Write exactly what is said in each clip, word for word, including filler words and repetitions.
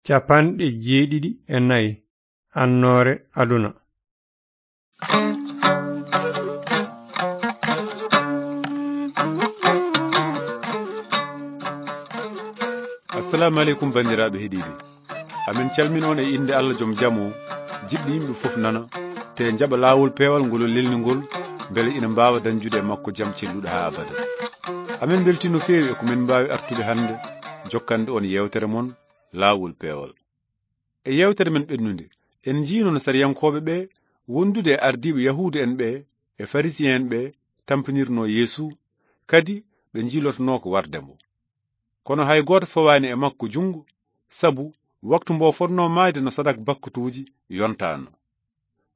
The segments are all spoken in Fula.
Capanɗe jeeɗiɗi e nayi. Annoore aduna. Assalamu aleykum, banndiraaɓe heɗiiɓe. Amin calmin on e innde Allah joom jam o, jiɗɗo yimɓe fof nana, te njaɓa laawol peewal ngol o lelni ngol, mbele ina mbaawa dañjude e makko jam celluɗo haa abada. Amin mbeltii no feewi e ko min mbaawi artude hannde, jokkande on yeewtere mon, Laawol Peewal. E yeewtere men ɓennunde, en njiino no sariyankooɓe ɓe, wondude e ardiiɓe Yahuudu en ɓe e Farisiyen ɓe, tampinirnoo Yeesu, kadi ɓe njiilotonoo ko warde mo. Kono hay gooto fawaani e makko junngo, sabu waktu mbo fotnoo maayde no sadak bakkatuuji yontaano.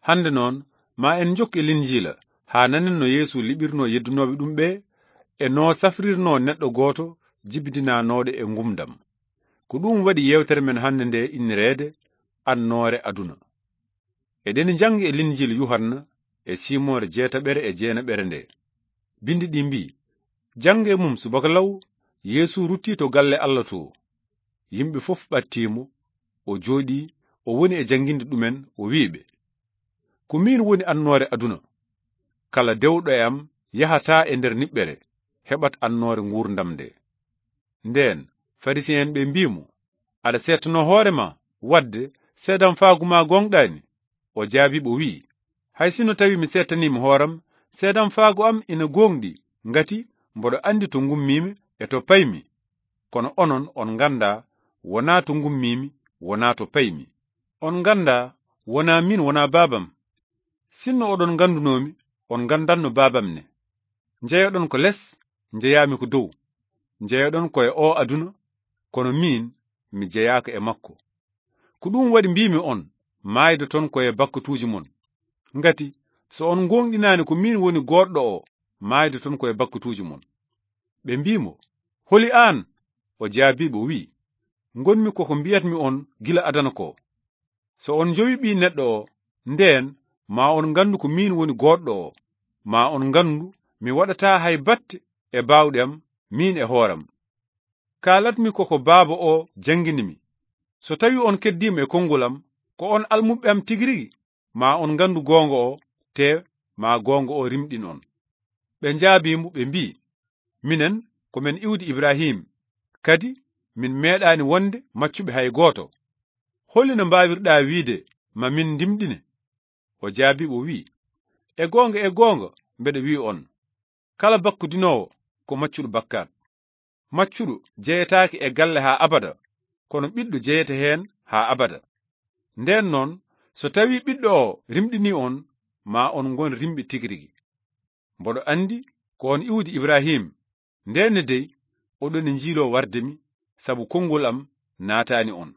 Hannde noon, ma en njokku e Linjiila, haa nanen no Yeesu liɓirnoo yeddunooɓe ɗum ɓe, e no safrirnoo neɗɗo gooto jibidinaanooɗo e ngumdam. Ko ɗum waɗi yeewtere men hannde nde innireede Annoore Aduna. Eɗen njanngi e Linjiila Yuhanna e siimoore jeetaɓere e jeenaɓere nde. Binndi ɗi mbii, jannge mum subaka law, Yeesu ruttii to galle Allah to. Yimɓe fof ɓattii mo, o jooɗii, o woni e jannginde ɗumen, o wi'i ɓe, "Ko miin woni annoore aduna. Kala dewɗo e am yahataa e nder niɓɓere, heɓat annoore nguurndam nde." Ndeen, Farisiyen ɓe mbii mo, "Aɗa seettanoo hoore ma, wadde seedamfaagu ma gooŋɗaani?" O jaabii ɓe, o wi'i, "Hay sinno tawii mi seettaniima hooram, seedamfaagu am ina gooŋɗi, ngati mboɗo anndi to ngummiimi e to paymi. Kono onon on nganndaa wonaa to ngummiimi, wonaa to paymi. On nganndaa wonaa miin, wonaa Baabam. Sinno oɗon nganndunoomi, on nganndanno Baabam ne. Njeyoɗon ko les, njeyaami ko dow. Njeyoɗon ko e oo aduna, kono miin, mi jeyaaka e makko. Ko ɗum waɗi mbiimi on, maayde ton ko e bakkatuuji mon. Ngati so on ngooŋɗinaani ko miin woni goodɗo o, maayde ton ko e bakkatuuji mon." Ɓe mbii mo, "Holi aan?" O jaabii ɓe, o wi'i, "Ngonmi ko ko mbiyatmi on gila adana ko. So on njowi Ɓii Neɗɗo o, ndeen ma on nganndu ko miin woni goodɗo o, ma on nganndu mi waɗataa hay batte e baawɗe am, miin e hooram. Kaalatmi ko ko Baaba o janngini mi. So tawii on keddiima e konngol am, ko on almuɓɓe am tigi rigi, ma on nganndu goonga o, te ma goonga o rimɗin on." Ɓe njaabii mo, ɓe mbii, "Minen, ko men iwdi Ibrahim, kadi min meeɗaani wonde maccuɓe hay gooto. Holi no mbaawirɗaa wiide ma min ndimɗine?" O jaabii ɓe, o wi'i, "E goonga, e goonga, mbeɗa wi'i on, kala bakkudinoowo ko maccuɗo bakkaat. Maccuɗo jeyetaake e galle haa abada, kono ɓiɗɗo jeyete heen haa abada. Ndeen noon, so tawii ɓiɗɗo o rimɗinii on, ma on ngon rimɓe tigi rigi. Mboɗo anndi ko on iwdi Ibrahim, ndeen ne dey oɗon e njiiloo warde mi, sabu konngol am naataani on.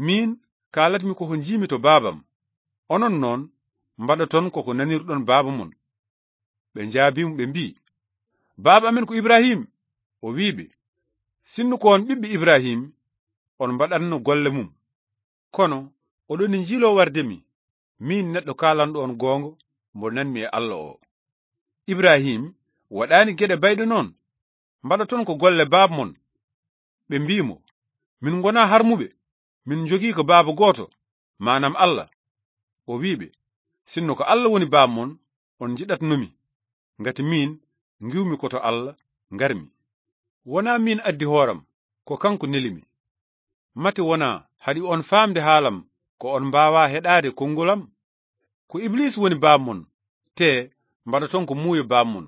Miin, kaalatmi ko ko njiimi to Baabam. Onon noon, mbaɗaton ko ko nanirɗon baaba mon." Ɓe njaabii mo, ɓe mbii, "Baaba amen ko Ibrahim." O wi'i ɓe, "Sinno ko on ɓiɓɓe Ibrahim, on mbaɗanno golle mum. Kono oɗon e njiiloo warde mi, miin neɗɗo kaalanɗo on goonga mbo nanmi e Allah o. Ibrahim waɗaani geɗe bayɗe noon. Mbaɗaton ko golle baaba mon." Ɓe mbii mo, "Min ngonaa harmuɓe, min njogii ko baaba gooto, maanam Allah." O wi'i ɓe, "Sinno ko Allah woni baaba mon, on njiɗatno mi, ngati miin ngiwmi ko to Allah ngarmi. Wonaa miin addi hooram, ko kanko neli mi. Mate wonaa haɗi on faamde haalam, ko on mbaawaa heɗaade konngol am? Ko Iblis woni baaba mon, te mbaɗaton ko muuyo baaba mon.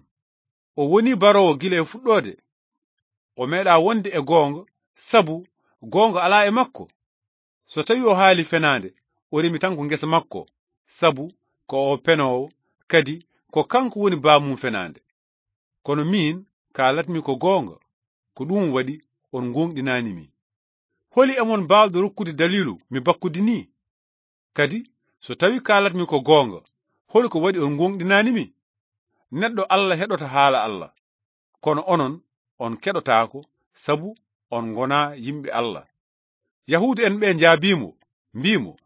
O woni baroowo gila e fuɗɗoode. O meeɗaa wonde e goonga, sabu goonga alaa e makko. So tawii o haali fenaande, o remi tan ko ngesa makko, sabu ko o penoowo, kadi ko kanko woni baaba mum fenaande. Kono miin, kaalatmi ko goonga, ko ɗum waɗi on ngooŋɗinaani mi. Holi e mon baawɗo rokkude daliilu mi bakkudi nii? Kadi, so tawii kaalatmi ko goonga, holi ko waɗi on ngooŋɗinaani mi? Neɗɗo Allah heɗoto haala Allah, kono onon, on keɗotaako, sabu on ngonaa yimɓe Allah." Yahuudu'en ɓe njaabii mo, mbii mo,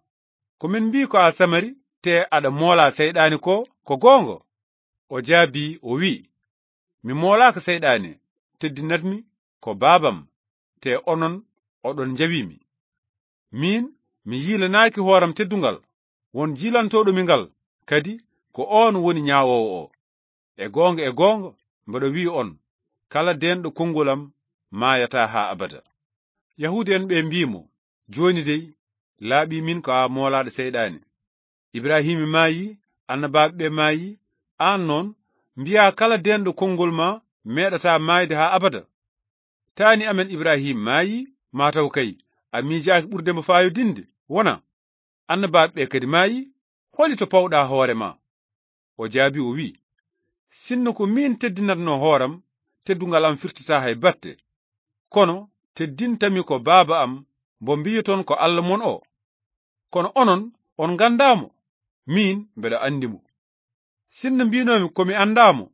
"Ko min mbii ko a Samari, te aɗa moolaa seyɗaani ko, ko goonga?" O jaabii, o wi'i, "Mi moolaaka seyɗaani, teddinatmi ko Baabam, te onon oɗon njawii mi. Miin, mi yiilanaaki hooram teddungal, won jiilantooɗo mi ngal, kadi ko oon woni ñaawoowo o. E goonga, e goonga, mboɗo wi'i on, kala deenɗo konngol am maayataa haa abada." Yahuudi'en ɓe mbi'i mo, "Jooni dey, laaɓii min ko a moolaaɗo seyɗaane. Ibrahiima maayi, annabaaɓe ɓe maayi, aan noon, mbi'aa kala deenɗo konngol ma meeɗataa maayde haa abada. Taani amen Ibrahiima maayi, maa taw kay a miijaaki ɓurde mo faayodinde, wona? Annabaaɓe ɓe kadi maayi, holi to pawɗaa hoore ma?" O jaabi, o wi'i, "Sinno ko miin teddinatnoo hooram, teddungal am firtataa hay batte. Kono teddintami ko Baaba am, mbo mbiyoton ko Alla mon o. Kono onon, on nganndaa mo, miin mbeɗa anndi mo. Sinno mbiinoomi ko mi anndaa mo,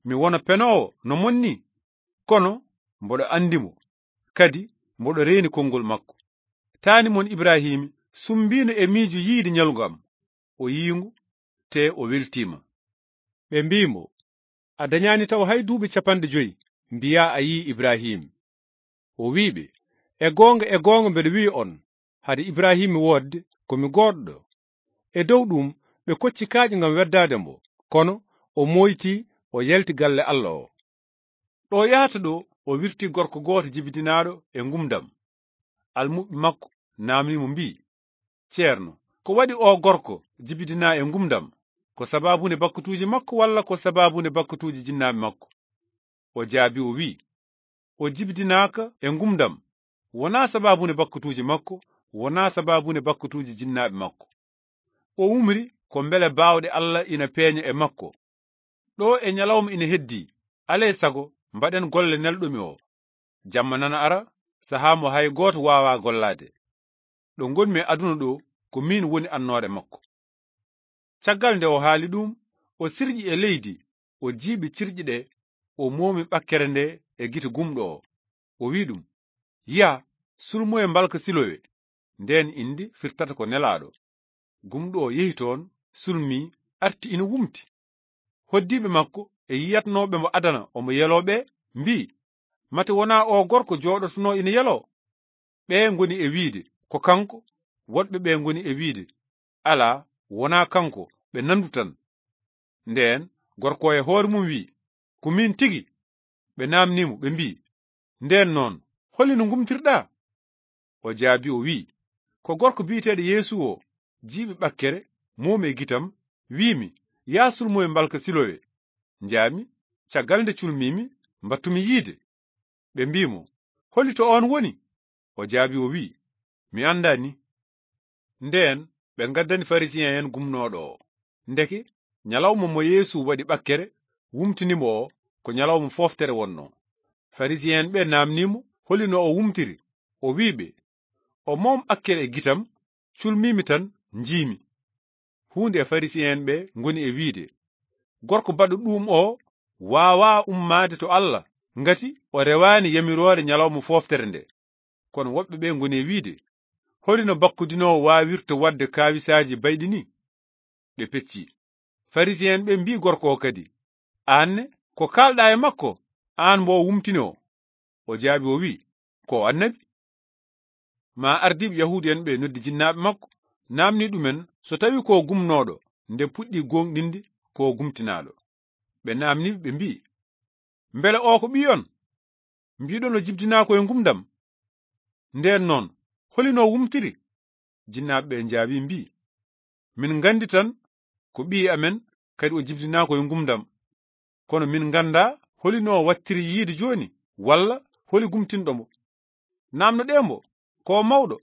mi wona penoowo no mon nii, kono mboɗo anndi mo, kadi mboɗo reeni konngol makko. Taani mon Ibrahiima sumbiino e miijo yiide ñalngu am, o yi'i ngu, te o weltiima." Ɓe mbi'i mo, "A dañaani taw hay duuɓi capanɗe joyi, mbiyaa a yi'i Ibrahiima." O wi'i ɓe, "E goonga, e goonga mbeɗo wi'i on, hade Ibrahiima woodde, ko mi goodɗo." E dow ɗum, ɓe kocci kaaƴe ngam weddaade mo, kono o mooyti, o yalti galle Alla o. Ɗo yahata ɗo, o wirti gorko gooto jibidinaaɗo e ngumdam. Almuɓɓe makko naamni mo mbi'i, "Ceerno, ko waɗi o gorko jibidinaa e ngumdam? Ko sabaabunde bakkutuuji makko walla ko sabaabunde bakkutuuji jinnaaɓe makko?" O jaabi, o wi'i, "O jibidinaaka e ngumdam, wonaa sabaabunde bakkutuuji makko, wonaa sabaabunde bakkutuuji jinnaaɓe makko. O umri ko mbele baawɗe Alla ina peeña e makko. Ɗo e ñalawma ina heddii, alay sago mbaɗen golle nelɗo mi o. Jamma nana ara, sahaa mo hay gooto waawaa gollaade. Ɗo ngonmi e aduna ɗo, ko miin woni annoore makko." Caggal nde o haali ɗum, o sirƴi e leydi, o jiiɓi cirƴi ɗe, o moomi ɓakkere nde e gite gumɗo o. O wi'i ɗum, "Yah, sulmoye mbalka Silowe." Ndeen indi firtata ko nelaaɗo. Gumɗo o yehi toon, sulmii, arti ina wumti. Hoddiiɓe makko e yiyatnooɓe mo adana omo yeloo ɓe, mbi'i, "Mate wonaa o gorko jooɗotonoo ina yeloo?" Ɓe ngoni e wiide, "Ko kanko." Woɗɓe ɓe ngoni e wiide, "Alaa, wonaa kanko, ɓe nandu tan." Ndeen gorko o e hoore mum wi'i, "Ko miin tigi." Ɓe naamnii mo, ɓe mbi'i, "Ndeen noon, holi no ngumtirɗaa?" O jaabi, o wi'i, "Ko gorko biyeteeɗo Yeesu o, jiiɓi ɓakkere, moomi e gitam, wi'imi, 'Yah sulmoye mbalka Silowe.' Njaami, caggal nde culmiimi, mbattumi yiide." Ɓe mbi'i mo, "Holi to oon woni?" O jaabi, o wi'i, "Mi anndaa ni." Ndeen ɓe ngaddani Farisiyee'en gumnooɗo o. Ndeke ñalawma mo Yeesu waɗi ɓakkere, wumtini mo o, ko ñalawma fooftere wonnoo. Farisiyee'en ɓe naamnii mo holi no o wumtiri. O wi'i ɓe, "O moom ɓakkere e gitam, culmiimi tan, njiimi." Huunde e Farisiyee'en ɓe ngoni e wiide, "Gorko baɗɗo ɗuum o waawaa ummaade to Alla, ngati o rewaani yamiroore ñalawma fooftere nde." Kono woɓɓe ɓe ngoni e wiide, "Holi no bakkudinoowo waawirta waɗde kaawisaaji bayɗi ni?" Ɓe pecci. Farisiyee'en ɓe mbi'i gorko o kadi, "Aan ne, ko kaalɗaa e makko, aan mbo o wumtini o?" O jaabi, o wi'i, "Ko o annabi." Ma ardiiɓe Yahuudu'en ɓe noddi jinnaaɓe makko, naamni ɗumen so tawi ko gumnooɗo, nde puɗɗi gooŋɗinde ko gumtinaaɗo. Ɓe naamni ɓe mbi'i, "Mbele o ko ɓiy on? Mbiɗon o jibdinaa ko e ngumdam. Ndeen noon, holi no wumtiri?" Jinnaaɓe ɓe njaabi mbi'i, "Min nganndi tan ko ɓiy amen, kadi o jibdinaa ko e ngumdam. Kono min nganndaa holi no wattiri yiide jooni, walla holi gumtinɗo mo. Naamnoɗee mbo, ko o mawɗo,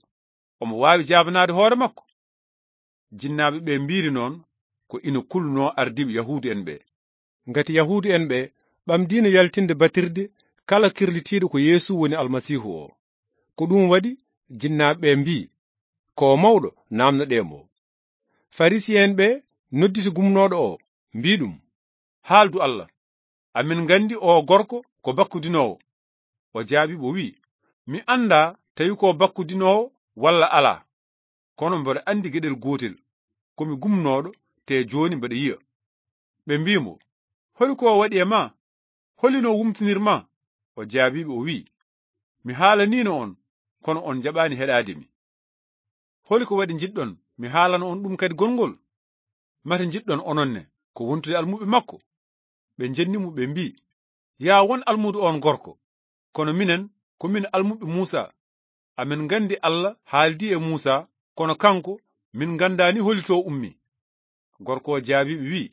omo waawi jaabanaade hoore makko." Jinnaaɓe ɓe mbiiri noon ko ina kulnoo ardiiɓe Yahuudu'en ɓe. Ngati Yahuudu'en ɓe ɓamdiino yaltinde batirde kala kirlitiiɗo ko Yeesu woni Almasiihu o. Ko ɗum waɗi jinnaaɓe ɓe mbii, "Ko o mawɗo, naamnoɗee mo." Farisiye'en ɓe nodditi gumnooɗo o, mbii ɗum, "Haaldu Allah. Amin nganndi o gorko ko bakkudinoowo." O jaabii ɓe, o wi'i, "Mi anndaa tawi ko bakkudinoowo walla alaa. Kono mboɗo anndi geɗel gootel, ko mi gumnooɗo, te jooni mboɗo yi'a." Ɓe mbii mo, "Holi ko o waɗi e ma? Holi no wumtinir ma?" O jaabii ɓe, o wi'i, "Mi haalaniino on, kono on njaɓaani heɗaade mi. Holi ko waɗi njiɗɗon mi haalana on ɗum kadi gonngol? Mate njiɗɗon onon ne ko wontude almuɓɓe makko?" Ɓe njenni mo, ɓe mbii, "Yaa won almuudo on gorko, kono minen ko min almuɓɓe Muusa. Amen nganndi Alla haaldi e Muusa, kono kanko min nganndaani holi to ummi." Gorko o jaabii ɓe wii,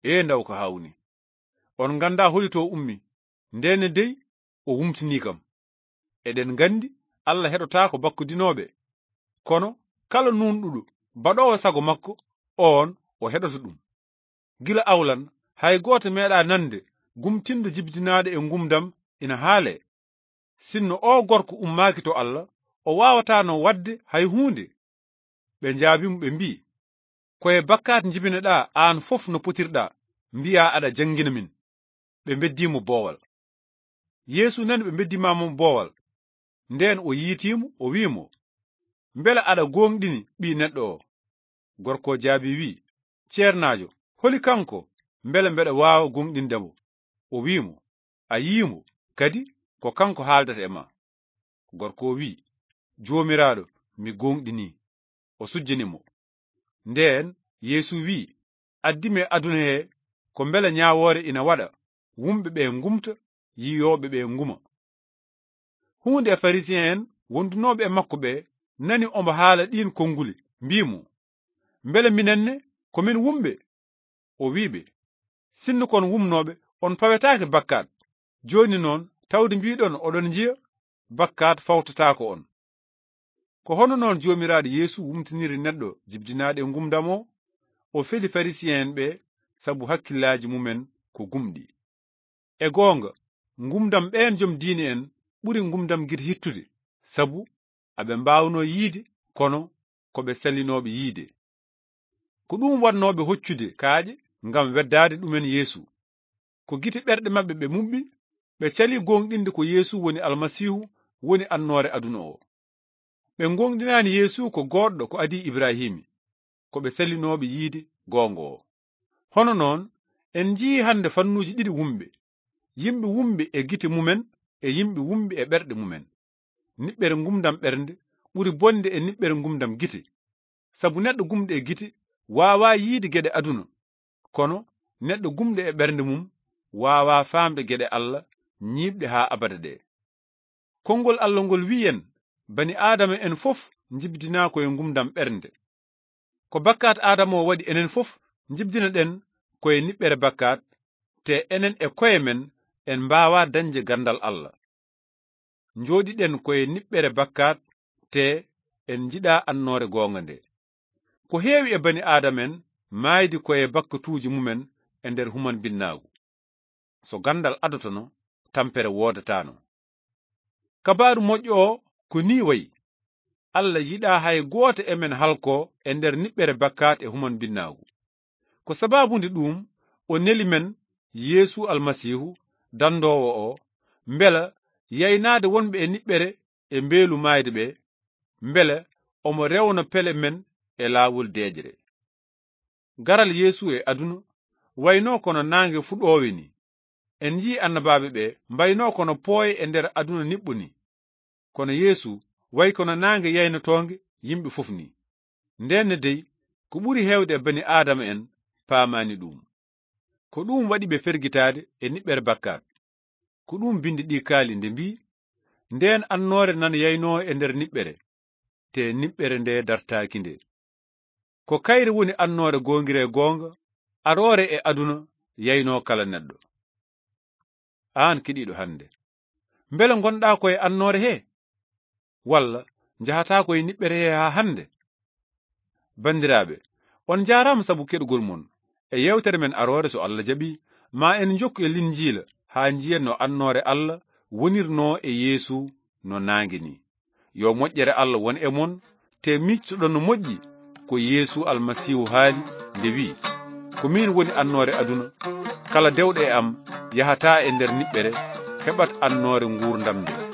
"Ee ndaw ko haawni! On nganndaa holi to ummi, ndenne dey o wumtinii kam. Eɗen nganndi Alla heɗotaako bakkudinooɓe, kono kala nuunɗuɗo baɗoowo sago makko, oon o heɗoto ɗum. Gila awlan, hay gooto meeɗaa nande gumtinɗo jibdinaaɗo e ngumdam ina haalee. Sinno oo gorko ummaaki to Alla, o waawataano waɗde hay huunde." Ɓe njaabii mo, ɓe mbii, "Ko e bakkaat njibineɗaa aan fof no potirɗaa, mbiyaa aɗa janngina min." Ɓe mbeddii mo boowal. Yeesu nani ɓe mbeddii mo boowal. Ndeen o yiitii mo, o wii mo, "Mbele aɗa gooŋɗini Ɓii Neɗɗo o?" Gorko o jaabii wii, "Ceernaajo, holi kanko, mbele mbeɗa waawa gooŋɗinde mo?" O wii mo, "A yii mo, kadi ko kanko haaldata e ma." Gorko o wii, "Joomiraaɗo, mi gooŋɗinii." O sujjini mo. Ndeen Yeesu wii, "Addi mi e aduna he ko mbele ñaawoore ina waɗa, wumɓe ɓe ngumta, yiyooɓe ɓe nguma." Huunde e Farisi'en en wondunooɓe e makko ɓe nani omo haala ɗiin konnguli, mbii mo, "Mbele minen ne ko min wumɓe?" O wii ɓe, "Sinno kon wumnooɓe, on pawetaake bakkaat. Jooni noon, tawde mbiiɗon oɗon njiya, bakkaat fawtataako on." Ko hono noon Joomiraaɗo Yeesu wumtiniri neɗɗo jibdinaaɗo e ngumdam o, o feli Farisi'en en ɓe sabu hakkillaaji mumen ko gumɗi. E goonga, ngumdam ɓeen jom diine en ɓuri ngumdam gite hittude, sabu aɓe mbaawnoo yiide, kono ko ɓe salinooɓe yiide. Ko ɗum waɗnooɓe hoccude kaaƴe ngam weddaade ɗumen Yeesu. Ko gite ɓerɗe maɓɓe ɓe muɓɓi, ɓe calii gooŋɗinde ko Yeesu woni Almasiihu, woni annoore aduna o. Ɓe gooŋɗinaani Yeesu ko goodɗo ko adii Ibrahiimi, ko ɓe salinooɓe yiide goonga o. Hono noon, en njiyii hannde fannuuji ɗiɗi wumɓe, yimɓe wumɓe e gite mumen e yimɓe wumɓe e ɓerɗe mumen. Niɓɓere ngumdam ɓernde ɓuri bonde e niɓɓere ngumdam gite. Sabu neɗɗo gumɗo e gite waawaa yiide geɗe aduna, kono neɗɗo gumɗo e ɓernde mum waawaa faamde geɗe Alla ñiiɓɗe haa abada ɗe. Konngol Alla ngol wi'i en, bani Aadama en fof njibdinaa ko e ngumdam ɓernde. Ko bakkaat Aadama o waɗi enen fof njibdinaɗen ko e niɓɓere bakkaat, te enen e koye men en mbaawaa dañde ganndal Alla. Njooɗiɗen ko e niɓɓere bakkaat, te en njiɗaa annoore goonga nde. Ko heewi e bani Aadama en maaydi ko e bakkatuuji mumen e nder humanbinnaagu. So ganndal adotono, tampere woodataano. Kabaaru moƴƴo o ko nii wayi. Alla yiɗaa hay gooto e men halkoo e nder niɓɓere bakkaat e humanbinnaagu. Ko sabaabu nde ɗuum o neli men Yeesu Almasiihu, dandoowo o, mbela yaynaade wonɓe e niɓɓere e mbeelu maayde ɓe, mbela omo rewna pele men e laawol deeƴre. Garal Yeesu e aduna waynoo kono naange fuɗoowe ni. En njii annabaaɓe ɓe mbaynoo kono pooye e nder aduna niɓɓo ni. Kono Yeesu wayi kono naange yaynotoonge yimɓe fof ni. Ndeen ne dey, ko ɓuri heewde e bani Aadama en paamaani ɗum. Ko ɗum waɗi ɓe fergitaade e niɓɓere bakkaat. Ko ɗum binndi ɗi kaali nde mbii, "Ndeen annoore nana yaynoo e nder niɓɓere, te niɓɓere nde dartaaki nde." Ko kayre woni annoore goongire goonga, aroore e aduna yaynoo kala neɗɗo. Aan keɗiiɗo hannde, mbele ngonɗaa ko e annoore he? Walla njahataa ko e niɓɓere he haa hannde? Banndiraaɓe, on njaaraama sabu keɗugol mon e yeewtere men aroore. So Alla jaɓi, ma en njokku e Linjiila haa njiyen no annoore Alla wonirnoo e Yeesu no naange ni. Yo moƴƴere Alla won e mon, te miijtoɗon no moƴƴi ko Yeesu Almasiihu haali nde wi'i, "Ko miin woni annoore aduna. Kala dewɗo e am yahataa e nder niɓɓere, heɓat annoore nguurndam nde."